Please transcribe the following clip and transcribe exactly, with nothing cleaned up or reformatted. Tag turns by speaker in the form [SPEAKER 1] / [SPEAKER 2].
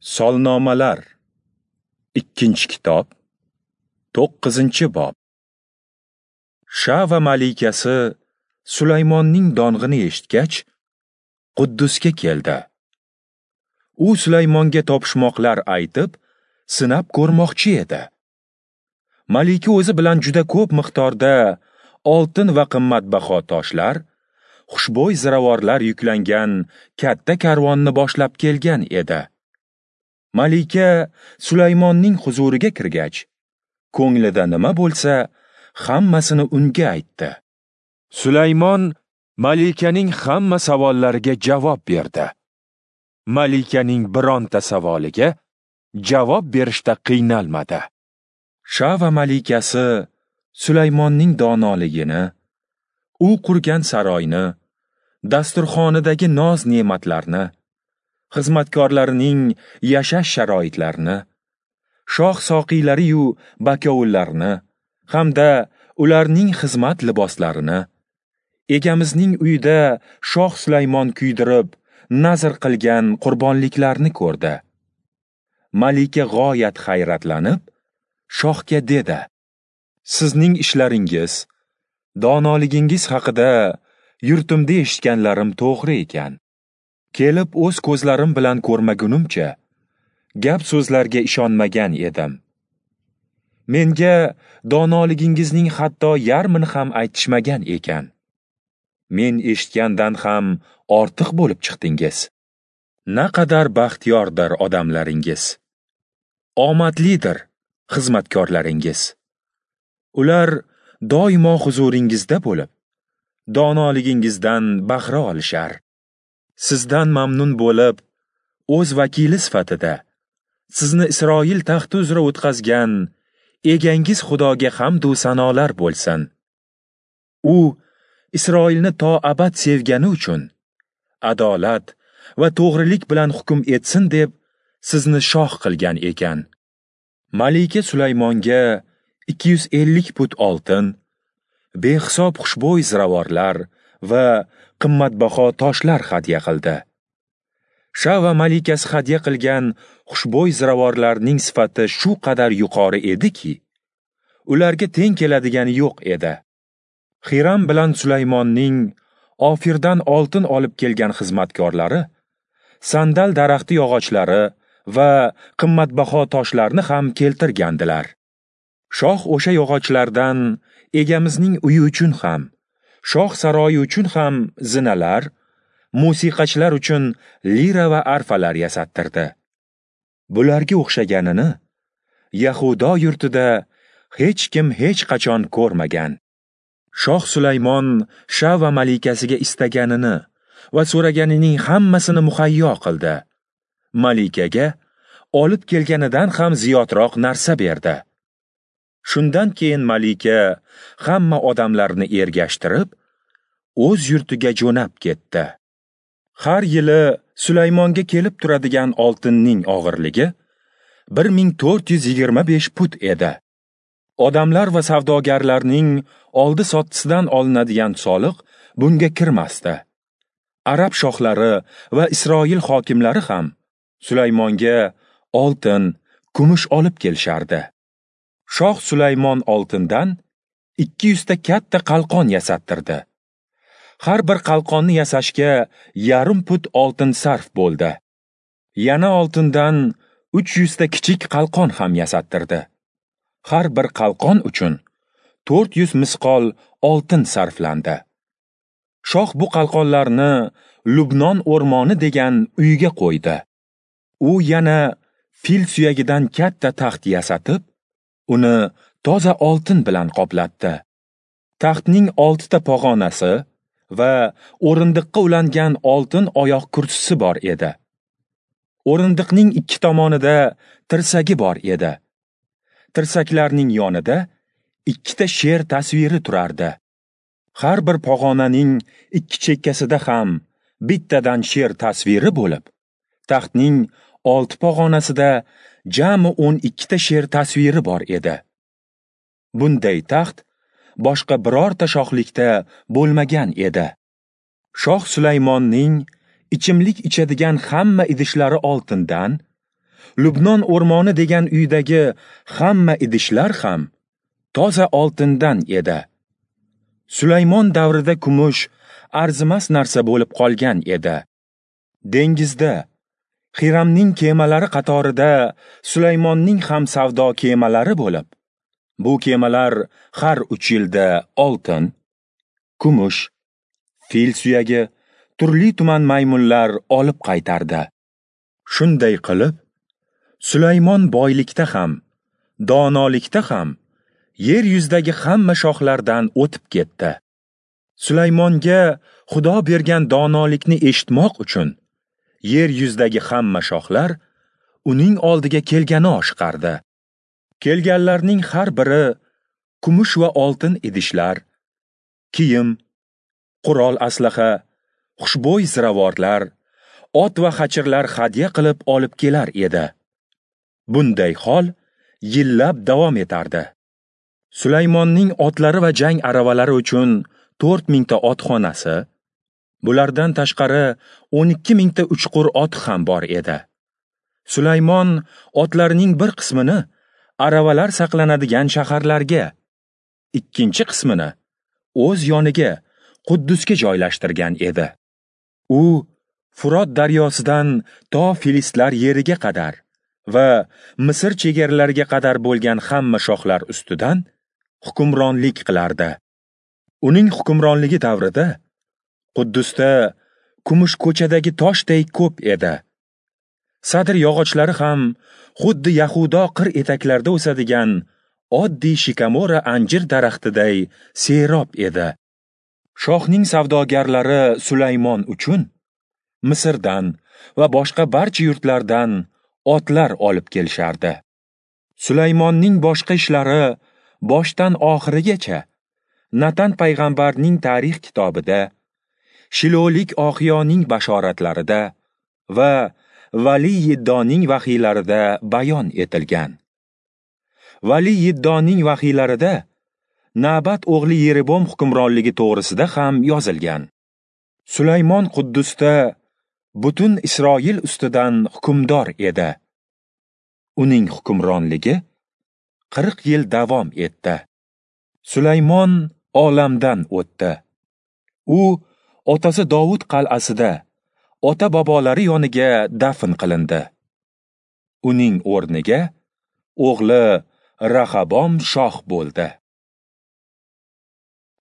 [SPEAKER 1] Solnomalar, ikkinchi kitob, to'qqizinchi bob. Shava malikasi Sulaymonning dong'ini eshitgach, Quddusga keldi. U Sulaymonga topishmoqlar aytib, sinab ko'rmoqchi edi. Malika o'zi bilan juda ko'p miqdorda oltin va qimmatbaho toshlar, xushbo'y ziravorlar yuklangan katta karvonni boshlab kelgan edi. Malika Sulaymonning huzuriga kirgach, ko'nglida nima bo'lsa, hammasini unga aytdi. Sulaymon malikaning hamma savollariga javob berdi. Malikaning bironta savoliga javob berishda qiynalmadi. Shava malikasi Sulaymonning donoligini, u qurgan saroyni, dasturxonidagi noz-ne'matlarni, xizmatkorlarining yashash sharoitlarini, shoh soqiylari-yu bakovullarni hamda ularning xizmat liboslarini, egamizning uyida shoh Sulaymon kuydirib nazr qilgan qurbonliklarni ko'rdi. Malika g'oyat hayratlanib, shohga dedi: "Sizning ishlaringiz, donoligingiz haqida yurtimda eshitganlarim to'g'ri ekan. Kelib o'z ko'zlarim bilan ko'rmagunimcha, gap so'zlarga ishonmagan edim. Menga donoligingizning hatto yarmini ham aytishmagan ekan. Men eshitgandan ham ortiq bo'lib chiqdingiz. Naqadar baxtiyordir odamlaringiz. Omadlidir xizmatkorlaringiz. Ular doimo huzuringizda bo'lib, donoligingizdan bahra olishar. Sizdan mamnun bo'lib, o'z vakili sifatida sizni Isroil taxti uzra o'tkazgan egangiz Xudoga hamd u sanolar bo'lsin. U Isroilni to abad sevgani uchun adolat va to'g'rilik bilan hukm etsin deb sizni shoh qilgan ekan." Malika Sulaymonga ikki yuz ellik put oltin, behisob xushbo'y ziravorlar va qimmatbaho toshlar hadya qildi. Shava malikasi hadya qilgan xushbo'y ziravorlarning sifati shu qadar yuqori ediki, ularga teng keladigani yo'q edi. Xiram bilan Sulaymonning Ofirdan oltin olib kelgan xizmatkorlari sandal daraxti yog'ochlari va qimmatbaho toshlarni ham keltirgandilar. Shoh o'sha yog'ochlardan egamizning uyi uchun ham, shoh saroyi uchun ham zinalar, musiqachilar uchun lira va arfalar yasattirdi. Bularga o'xshaganini Yahudo yurtida hech kim hech qachon ko'rmagan. Shoh Sulaymon Shava malikasiga istaganini va so'raganining hammasini muhayyo qildi. Malikaga olib kelganidan ham ziyodroq narsa berdi. Shundan keyin malika hamma odamlarni ergashtirib, o'z yurtiga jo'nab ketdi. Har yili Sulaymonga kelib turadigan oltinning og'irligi bir ming to'rt yuz yigirma besh put edi. Odamlar va savdogarlarning oldi-sottisidan olinadigan soliq bunga kirmasdi. Arab shohlari va Isroil hokimlari ham Sulaymonga oltin, kumush olib kelishardi. Shoh Sulaymon oltindan ikki yuz ta katta qalqon yasattirdi. Har bir qalqonni yasashga yarim put oltin sarf bo'ldi. Yana oltindan uch yuz ta kichik qalqon ham yasattirdi. Har bir qalqon uchun to'rt yuz misqol oltin sarflandi. Shoh bu qalqonlarni Lubnon o'rmoni degan uyga qo'ydi. U yana fil suyagidan katta taxt yasatib, uni toza oltin bilan qoplatdi. Taxtning oltita pog'onasi va o'rindiqqa ulangan oltin oyoq kursisi bor edi. O'rindiqning ikki tomonida tirsagi bor edi. Tirsaklarning yonida ikkita sher tasviri turardi. Har bir pog'onaning ikki chekkasida ham bittadan sher tasviri bo'lib, taxtning olti pog'onasida jami o'n ikkita sher tasviri bor edi. Bunday taxt boshqa birorta shohlikda bo'lmagan edi. Shoh Sulaymonning ichimlik ichadigan hamma idishlari oltindan, Lubnon o'rmoni degan uydagi hamma idishlar ham toza oltindan edi. Sulaymon davrida kumush arzimas narsa bo'lib qolgan edi. Dengizda Xiramning kemalari qatorida Sulaymonning ham savdo kemalari bo'lib, bu kemalar har uch yilda oltin, kumush, fil suyagi, turli tuman maymunlar olib qaytardi. Shunday qilib, Sulaymon boylikda ham, donolikda ham yer yuzidagi hamma shohlardan o'tib ketdi. Sulaymonga Xudo bergan donolikni eshitmoq uchun yer yuzidagi hamma shohlar uning oldiga kelgani oshiqardi. Kelganlarning har biri kumush va oltin idishlar, kiyim, qurol aslaha, xushbo'y ziravorlar, ot va xachirlar hadya qilib olib kelar edi. Bunday hol yillab davom etardi. Sulaymonning otlari va jang aravalari uchun to'rt mingta otxonasi, bulardan tashqari o'n ikki mingta uchqur ot ham bor edi. Sulaymon otlarining bir qismini aravalar saqlanadigan shaharlarga, ikkinchi qismini o'z yoniga Quddusga joylashtirgan edi. U Furot daryosidan to Filistlar yeriga qadar va Misr chegaralariga qadar bo'lgan hamma shohlar ustidan hukmronlik qilardi. Uning hukmronligi davrida Quddusda kumush ko'chadagi toshday ko'p edi. Sadr yog'ochlari ham xuddi Yahudo qir etaklarida o'sadigan oddiy shikamora anjir daraxtiday serob edi. Shohning savdogarlari Sulaymon uchun Misrdan va boshqa barcha yurtlardan otlar olib kelishardi. Sulaymonning boshqa ishlari boshdan oxirigacha Natan payg'ambarning tarix kitobida, Shilolik Oxiyoning bashoratlarida va Vali Yiddoning vahiylarida bayon etilgan. Vali Yiddoning vahiylarida Nabat o'g'li Yerebom hukmronligi to'g'risida ham yozilgan. Sulaymon Quddusda butun Isroil ustidan hukmdor edi. Uning hukmronligi qirq yil davom etdi. Sulaymon olamdan o'tdi. U otasi Dovud qal'asida ota-bobolari yoniga dafn qilindi. Uning o'rniga o'g'li Rahabom shoh bo'ldi.